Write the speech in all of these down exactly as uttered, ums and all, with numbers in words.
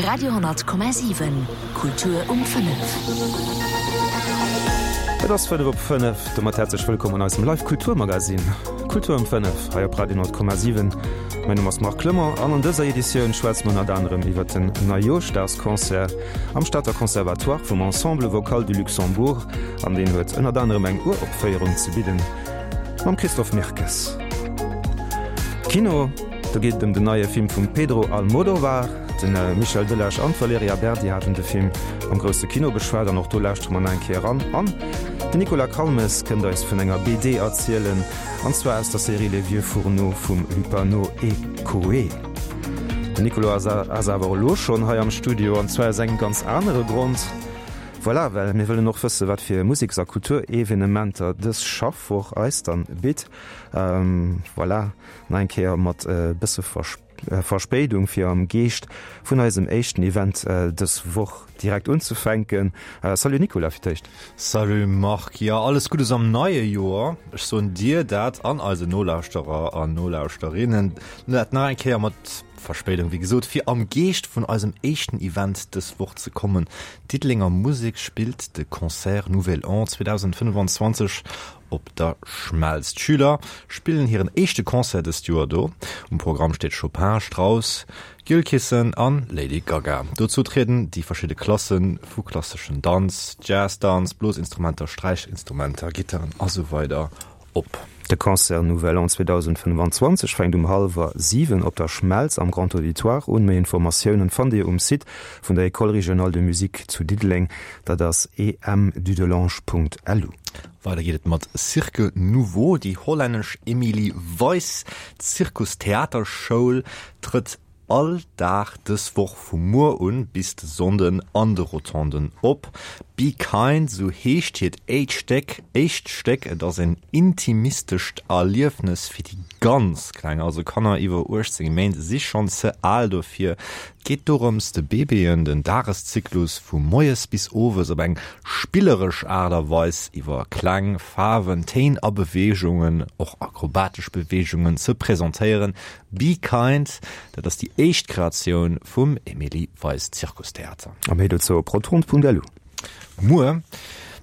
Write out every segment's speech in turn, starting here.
Radio honnert Komma siwen, Kultur um fënnef. Et ass fënnef op fënnef. Domat häerzlech wëllkomm an eisem Live Kulturmagazin Kultur um fënnef hei op Radio honnert Komma siwen. Mäin Numm ass Marc Clement an an dëser Editioun schwätze mer ënnert anerem iwwer den Neijooschdagsconcert am Stater Conservatoire vum Ensemble Vocal du Luxembourg an deen huet ënnert anerem eng Uropféierung ze bidden mam Christophe Mirkes. Kino, do geet et ëm den neie Film vum Pedro Almodovar. De Michel Delage an d'Valerija Berdi haten de Film am grousse Kino beschwat an och do lauschtere mer nach eng Kéier eran. An den Nicolas Calmes kënnt eis vun enger B D erzielen, an zwar aus der Serie Les Vieux Fourneaux vum Lupano et Coé. Den Nicolas ass awer elo schonn hei am Studio, an zwar aus engem ganz anere Grond. Voilà, well mir wëllen och wësse wat fir Museks a Kulturevenementer dës Schaffwoch eis dann bitt. Voilà, nach eng Kéier mat e bësse Verspéidung, fir am Geescht vun eisem éischten Event dës Woch direkt unzefänken. Salut Nicolas, fir d'éischt. Salut Marc, jo alles Guddes am neie Joer. Ech soen dir dat an eisen Nolauschterer an Nolauschterinnen dat nach eng Kéier mat Verspéidung, wéi gesot, fir am Geescht vun eisem éischten Event dës Woch ze kommen. D'Diddelenger Musek spillt de Concert Nouvel An zweedausendfënnefanzwanzeg op der Schmelz. D'Schüler spillen hiren éischte Concert dëst Joer do. Um Programm steet Chopin, Strauss, Gilkissen an Lady Gaga. Dozou trieden déi verschidde Klasse vu klasseschen Danz, Jazz-Danz, Blosinstrumenter, Sträichinstrumenter, Gittaren a sou weider op. De Concert Nouvel An zweedausendfënnefanzwanzeg fänkt um hallwer siwen op der Schmelz am Grand Auditoire un. Méi Informatiounen fannt Dir um Site vun der École régionale de musique zu Diddeleng, dat ass emdudelange punkt lu. Weider geet et mat Cirque Nouveau. Déi hollännesch Emily Weiss Zirkustheaterschoul trëtt all Dag dës Woch vu muer un bis de Sonnden an de Rotonden op. Be Kind, sou heescht hiert éischt Stéck. Éischt Stéck, et ass en intimistescht Erliefnes fir déi ganz Kleng, also Kanner iwwer uechtzéng Méint si schonn ze al dofir. Et geet dorëms, de Baby'en den Dageszyklus vu moies bis owes op eng spilleresch Aart a Weis iwwer Kläng, Faarwen, Téin a Beweegungen, och akrobatesch Beweegungen, ze presentéieren. Be Kind, dat ass déi éischt Kreatioun vum Emily Weiss Zirkustheater. A méi dozou op rotonde punkt lu. Muer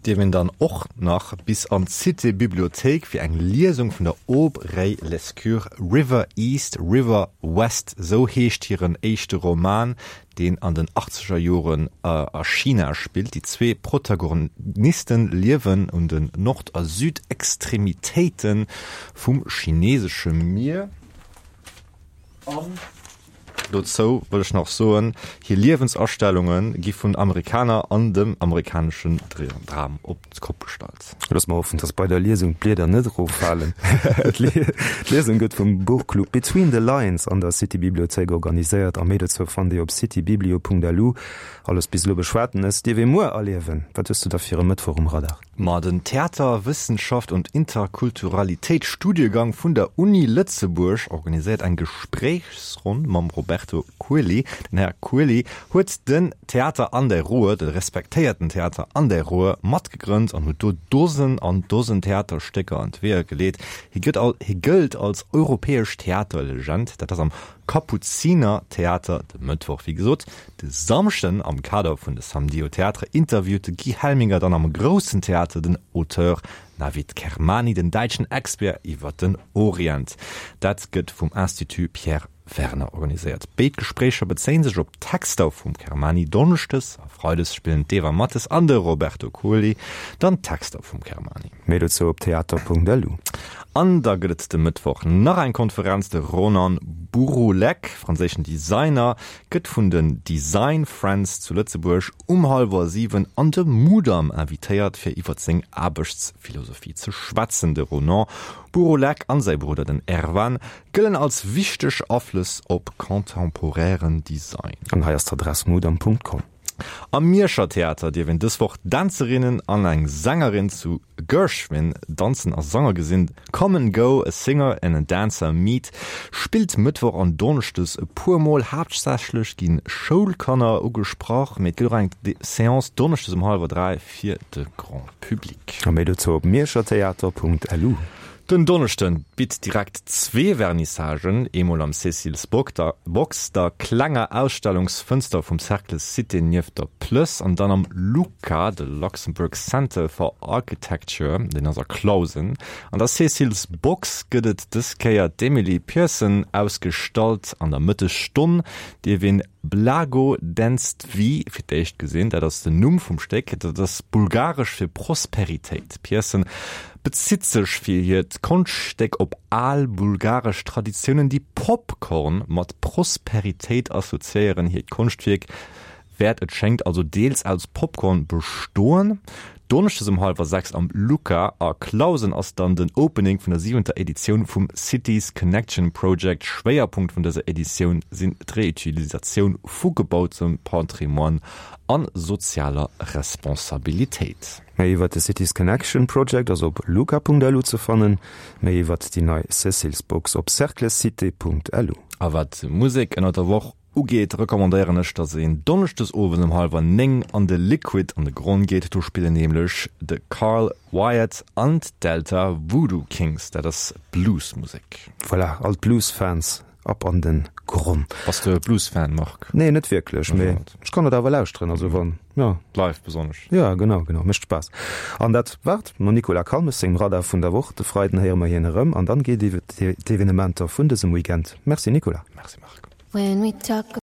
dierf een dann och nach bis an d'Cité Bibliothéik fir eng Liesung vun der Aubray Lescure. River East, River West, sou heescht hiren éischte Roman, deen an den achtzeger Joren a China spillt. Déi zwee Protagonisten liewen un den Nord a Südextremitéite vum chinesesche Mier. An dozou wëll ech nach soen, hir Liewensastellunge gi vun Amerikaner an dem amerikaneschen Dram op d'Kopp gestallt. Loosse mer hoffen, dass bei der Liesung d'Blieder net eroffalen. D'Liesung gëtt vum Buchclub Between the Lines an der City Bibliothéik organiséiert a méi dozou fannt Dir op citybiblio punkt lu. Alles bis elo Beschwatenes dierf ee muer erliewen. Wat hues du da fir e Mëttwoch um Radar? Ma den Theater-, Wëssenschaft und Interkulturalitéit-Studiegang vun der Uni Lëtzebuerg organiséiert eng Gespréichsronn mam Roberto Coeli. Den Här Coeli huet den Theater an der Ruhr, de respektéierten Theater an der Ruhr, matgegrënnt an huet do Dosen an Dosen Theaterstécker an d'Weeër geleet. Hie gëtt al, hie gëllt als europäesch Theaterlegend. Dat ass am Kapuzinertheater de Mëttwoch. Wéi gesot, de Samschden am Kader vun de Samedis au Théâtre interviewt de Guy Helminger dann am Groussen Theater den Auteur Navid Kermani, den däitschen Expert iwwer den Orient. Dat gëtt vum Institut Pierre Werner organiséiert. Béid Gespréicher bezéien sech op Texter vum Kermani. Donneschdes a Freides spillen d'Eva Mattes an de Roberto Coeli dann Texter vum Kermani. Méi dozou op theater punkt lu. An da gëtt et de Mëttwoch nach eng Konferenz. De Ronan Bouroullec, franséischen Designer, gëtt vun den Design Friends zu Lëtzebuerg um hallwer siwen an de Mudam invitéiert, fir iwwer seng Aarbechtsphilosophie ze schwätzen. De Ronan Bouroullec an säi Brudder den Erwan gëllen als wichteg Aflëss op contemporären Design. An hei ass d'Adress mudam punkt com. Am Mierscher Theater dierf een dës Woch Dänzerinnen an eng Sängerin zu Gershwin danzen a sange gesinn. Come and Go, a Singer and a Dancer Meet spillt Mëttwoch an Donneschdes e puer Mol. Haaptsächlech gi Schoulkanner ugesprach, mee et gëtt och eng Seance donneschdes um hallwer dräi fir de Grand Public. A méi dozou op mierschertheater punkt lu. Den Donneschden bitt direkt zwee Vernissagen, eemol am Cecil's Box, der klenger Ausstellungsfënster vum Cercle Cité nieft der Plëss, an dann am LUCA, de Luxembourg Center for Architecture, deen ass a Clausen. An der Cecil's Box gëtt et dës Kéier d'Emily Pearson ausgestallt. An der Mëttesstonn dierf een Blagodenstvi fir d'éischt gesinn, dat ass den Numm vum Stéck, dat ass bulgaresch fir Prosperitéit. D'Pearson bezitt sech fir hiert Konschtstéck op al bulgaresch Traditiounen, déi Popcorn mat Prosperitéit assoziéieren. Hiert Konschtwierk wäert, et schéngt, also deels aus Popcorn bestoen. Donneschdes um hallwer sechs am LUCA a Clausen ass dann den Opening vun der siwenter Editioun vum Cities Connection Project. Schwéierpunkt vun dëser Editioun sinn d'Reutilisatioun vu gebautem Patrimoine a sozialer Responsabilitéit. Méi iwwert de Cities Connection Project ass op luca.lu ze fannen, méi iwwert déi nei Cecil's Box op cerclecité.lu. A wat Musek ënnert der Woch ugeet, recommandéieren ech, dass een donneschdes owes um hallwer néng an de Liquid an de Gronn geet. Do spillen nämlech de Carl Wyatt an d'Delta Voodoo Kings. Dat ass Blues-Musek. Voilà, all d'Blues-Fans ab an den Gronn. Bass de e Blues-Fan, Marc? Nee, net wierklech, mee ech kann et awer lauschteren, also wann, jo. Live besonnesch. Jo, genau, genau, mécht Spaass. An dat war et mam Nicolas Calmes sengem Radar vun der Woch. De Freiden héiere mer hien erëm an dann geet iwwer d'Evenementer vun dësem Weekend. Merci Nicolas. Merci Marc. When we talk